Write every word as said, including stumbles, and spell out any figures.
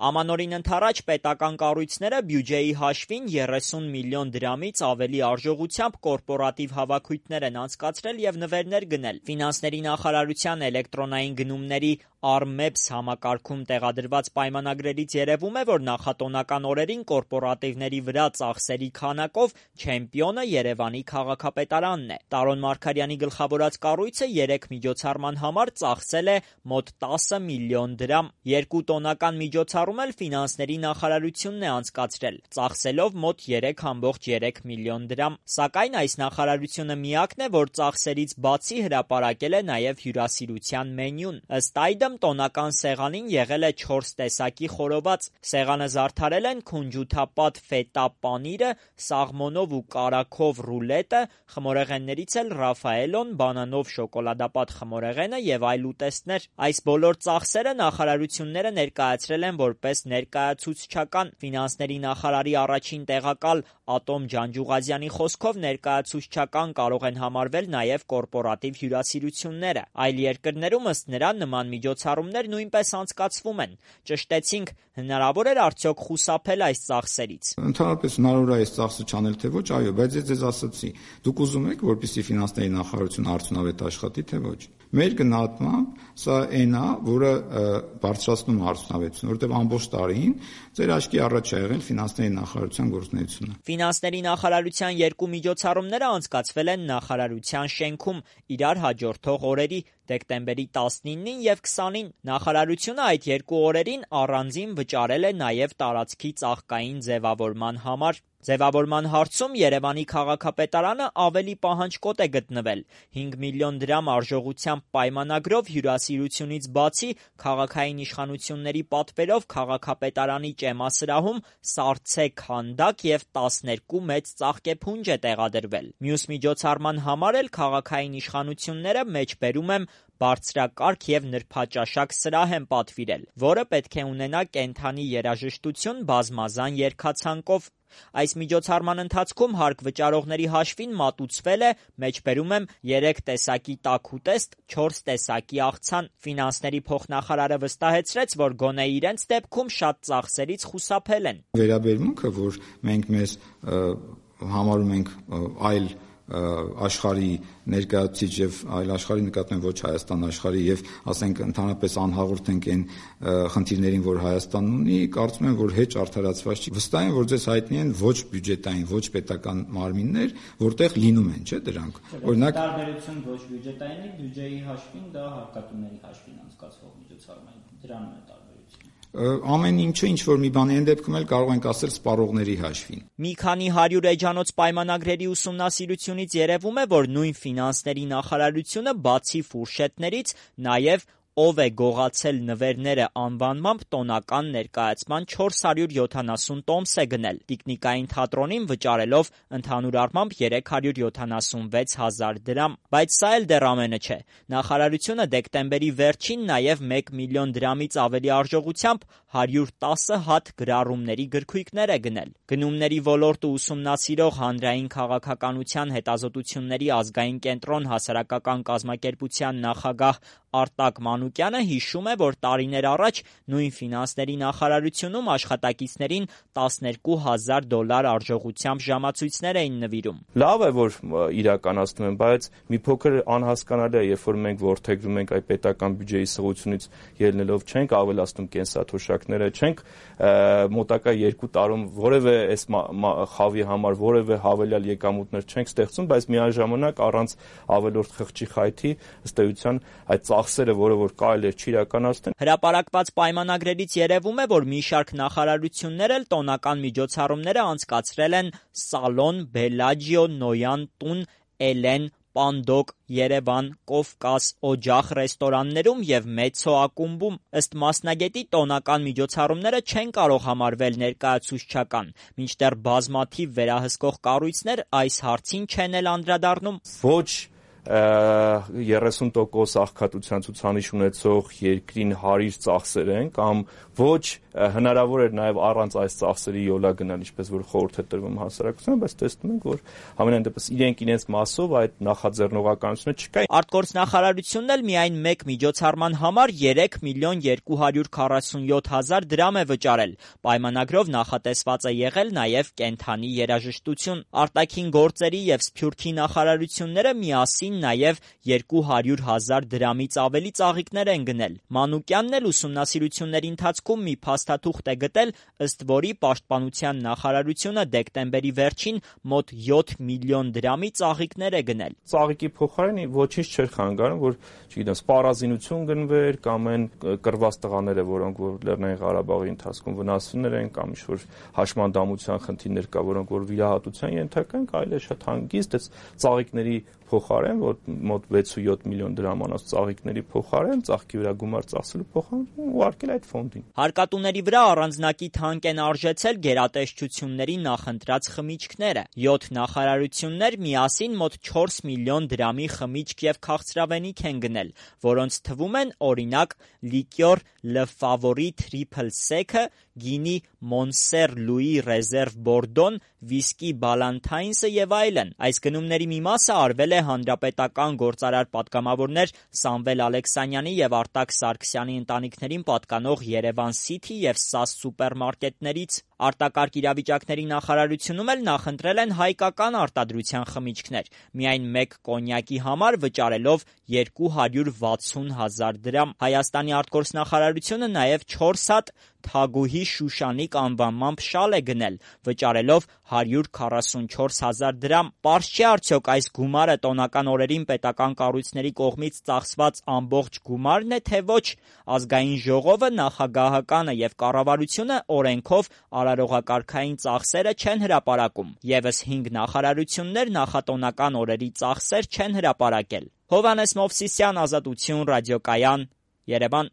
Ամանորին ընդառաջ պետական կառույցները բյուջեի հաշվին երեսուն միլիոն դրամից ավելի արժողությամբ կորպորատիվ հավաքույթներ են անցկացրել և նվերներ գնել։ Ֆինանսների նախարարության էլեկտրոնային գնումների Armeps համակարգում տեղադրված պայմանագրերից երևում է, որ նախատոնական օրերին կորպորատիվների վրա ծախսերի քանակով չեմպիոնը Երևանի քաղաքապետարանն է։ Տարոն Մարգարյանի գլխավորած կառույցը երեք միջոցառման համար ծախսել է մոտ տասը միլիոն դրամ։ Երկու տոնական միջոցառում էլ ֆինանսների նախարարությունն է անցկացրել, ծախսելով մոտ երեք կόμ երեք միլիոն դրամ։ Սակայն այս նախարարությունը միակն է, որ ծախսերից բացի հրապարակել է նաև հյուրասիրության մենյուն։ Ըստ այդմ տոնական սեղանին եղել է չորս տեսակի խորոված։ Սեղանը զարդարել են քունջութապատ ֆետա պանիրը, սաղմոնով ու կարագով ռուլետը, խմորեղեններից էլ Ռաֆաելոն, բանանով շոկոլադապատ խմորեղենը և այլ ուտեստներ։ Այս բոլոր ծախսերը նախարարությունները ներկայացրել են որպես ներկայացուցչական։ Ֆինանսների նախարարի առաջին տեղակալ Ատոմ Ջանջուղազյանի խոսքով ներկայացուցչական կարող են համարվել նաև կորպորատիվ հյուրասիրությունները։ Այլ երկրներում ըստ նրա նման միջոցառումներ նույնպես անցկացվում են։ Ճշտեցինք, հնարավոր էր արդյոք խուսափել այս ծախսերից։ Ընդհանրապես հնարավոր է այս ծախսը չանել թե ոչ, այո, բայց ես ձեզ ասացի, դուք ուզում եք, որպեսզի ֆինանսների նախարարությունը արդյունավետ աշխատի, թե ոչ։ Մեր գնահատմամբ սա այն է, որը բարձրացնում է արդյունավետությունը, որովհետև ամբողջ տարին ձեր աչքի առաջ է եղել ֆինանսների նախարարության գործունեությունը։ Ֆինանսների նախարարության երկու միջոցառումները անցկացվել են նախարարության շենքում իրար հաջորդող օրերի՝ դեկտեմբերի տասնինին և քսանին։ Նախարարությունը այդ երկու օրերին առանձին վճարել է նաև տարածքի ծաղկային ձևավորման համար։ Ձևավորման հարցում Երևանի քաղաքապետարանը ավելի պահանջկոտ է գտնվել։ հինգ միլիոն դրամ արժողությամբ պայմանագրով հյուրասիրությունից բացի քաղաքային իշխանությունների պատվերով քաղաքապետարանի ճեմասրահում սառցե քանդակ և տասներկու մեծ ծաղկեփունջ է տեղադրվել։ Մյուս միջոցառման համար էլ քաղաքային իշխանությունները մեջբերում եմ բարձրակարգ և նրբաճաշակ սրահ են պատվիրել, որը պետք է ունենա կենդանի երաժշտություն բազմազան երգացանկով։ Այս միջոցառման ընթացքում հարկ վճարողների հաշվին մատուցվել է, մեջբերում եմ, երեք տեսակի տաք ուտեստ, չորս տեսակի աղցան։ Ֆինանսների փոխնախարարը վստահեցրեց, որ գոնե իրենց դեպքում շատ ծախսերից խուսափել են։ Վերաբերմունքը, որ մենք մեզ համարում ենք այլ աշխարհի ներկայացուցիչ եւ այլ աշխարհի նկատմամբ ոչ Հայաստան աշխարհի եւ ասենք ընդհանրապես անհաղորդ ենք այն խնդիրներին, որ Հայաստանն ունի, կարծում եմ, որ հեչ արդարացված չի։ Վստահ եմ, որ ձեզ հայտնի են ոչ բյուջետային, ոչ պետական մարմիններ, որտեղ լինում են, չէ՞ դրանք։ Օրինակ տարբերություն ոչ բյուջետայինի, բյուջեի հաշվին դա հարկատուների հաշվին անցկացվող միջոցառում է, դրանում է տարբերությունը։ Ամեն ինչը ինչ որ մի բան այն դեպքում էլ կարող ենք ասել սպառողների հաշվին։ Մի քանի հարյուր էջանոց պայմանագրերի ուսումնասիրությունից երևում է, որ նույն ֆինանսների նախարարությունը բացի ֆուրշետներից նաև «Ով է գողացել նվերները» անվանմամբ տոնական ներկայացման չորս հարյուր յոթանասուն տոմս է գնել, Տիկնիկային թատրոնին վճարելով ընդհանուր առմամբ երեք հարյուր յոթանասունվեց հազար դրամ։ Բայց սա էլ դեռ ամենը չէ։ Նախարարությունը դեկտեմբերի վերջին նաև մեկ միլիոն դրամից ավելի արժողությամբ հարյուր տասը հատ գրառումների գրքույկներ է գնել։ Գնումների ոլորտը ուսումնասիրող Հանրային քաղաքականության հետազոտությունների ազգային կենտրոն հասարակական կազմակերպության նախագահ Արտակ Մանուկյանը հիշում է, որ տարիներ առաջ նույն ֆինանսների նախարարությունում աշխատակիցներին տասներկու հազար դոլար արժողությամբ ժամացույցներ էին նվիրում։ Լավ է, որ իրականացնում են, բայց մի փոքր անհասկանալի է, երբ որ մենք որդեգրում ենք այդ պետական բյուջեի սղությունից ելնելով չենք ավելացնում կենսաթոշակները, չենք մոտակա երկու տարում որևէ այս խավի համար որևէ հավելյալ եկամուտներ չենք ստեղծում, բայց միաժամանակ առանց ավելորդ խղճի խայթի ըստ էության այդ ծախսերը, որը որ կարելի է չիրականացնել։ Հրապարակված պայմանագրերից երևում է, որ մի շարք նախարարություններ էլ տոնական միջոցառումները անցկացրել են Սալոն, Բելաջիո, Նոյան տուն, Էլեն, Պանդոկ, Երևան, Կովկաս, Օջախ ռեստորաններում և Մեծո ակումբում։ Ըստ մասնագետի տոնական միջոցառումները չեն կարող համարվել ներկայացուցչական, մինչդեռ բազմաթիվ վերահսկող կառույցներ այս հարցին չեն էլ անդրադառնում։ Ոչ երեսուն տոկոս աղքատության ցուցանիշ ունեցող երկրին հարիր ծախսեր են կամ ոչ հնարավոր էր նաև առանց այս ծախսերի յոլա գնալ, ինչպես որ խորհուրդ է տրվում հասարակությանը, բայց տեսնում ենք, որ համենայն դեպս իրենք իրենց մասով այդ նախաձեռնողականությունը չկա։ Արտգործնախարարությունն էլ միայն մեկ միջոցառման համար երեք միլիոն երկու հարյուր քառասունյոթ հազար դրամ է վճարել։ Պայմանագրով նախատեսված է եղել նաև կենդանի երաժշտություն։ Արտաքին գործերի եւ Սփյուռքի նախարարությունները միասին նաև երկու հարյուր հազար դրամից ավելի ծաղիկներ են գնել։ Մանուկյանն էլ ուսումնասիրությունների ընթացքում մի փաստաթուղթ է գտել, ըստ որի Պաշտպանության նախարարությունը դեկտեմբերի վերջին մոտ յոթ միլիոն դրամի ծաղիկներ է գնել։ Ծաղիկի փոխարեն ոչինչ չէր խանգարում, որ, չգիտեմ, սպառազինություն գնվեր կամ այն կռված տղաները, որոնք որ Լեռնային Ղարաբաղի ընթացքում վնասվներ են կամ ինչ-որ հաշմանդամության խնդիրներ կա, որոնք որ վիրահատության ենթակա են, այլ է շատ հանգիստ այս ծաղիկների փոխարեն, որ մոտ վեց-յոթ միլիոն դրամանոց ծաղիկների փոխարեն, ծաղկի վրա գումար ծախսելու փոխարեն ուղարկել այդ ֆոնդին։ Հարկատուների վրա առանձնակի թանկ են արժեցել գերատեսչությունների նախընտրած խմիչքները։ յոթ նախարարություններ միասին մոտ չորս միլիոն դրամի խմիչք եւ քաղցրավենիք են գնել, որոնց թվում են օրինակ լիկյոր Le Favorite Triple Sec-ը, գինի Monser Louis Reserve Bordon, վիսկի Ballantine's-ը եւ այլն։ Այս գնումների մի մասը արվել է հանրապետական գործարար պատգամավորներ Սամվել Ալեքսանյանի եւ Արտակ Սարգսյանի ընտանիքներին պատկանող Երևան City եւ Սաս սուպերմարկետներից։ Արտակարգ իրավիճակների նախարարությունում էլ նախընտրել են հայկական արտադրության խմիչքներ, միայն մեկ կոնյակի համար վճարելով երկու հարյուր վաթսուն հազար դրամ։ Հայաստանի արտգործնախարարությունը նաև չորս հատ Թագուհի Շուշանիկ անվանմամբ շալ է գնել, վճարելով հարյուր քառասունչորս հազար դրամ։ Պարզ չէ արդյոք այս գումարը տոնական օրերին պետական կառույցների կողմից ծախսված ամբողջ գումարն է, թե ոչ։ Ազգային ժողովը, նախագահականը եւ կառավարությունը օրենքով արարողակարգային ծախսերը չեն հրապարակում։ Եվս հինգ նախարարություններ նախատոնական օրերի ծախսեր չեն հրապարակել։ Հովհաննես Մովսիսյան, Ազատություն, Ռադիոկայան, Երևան։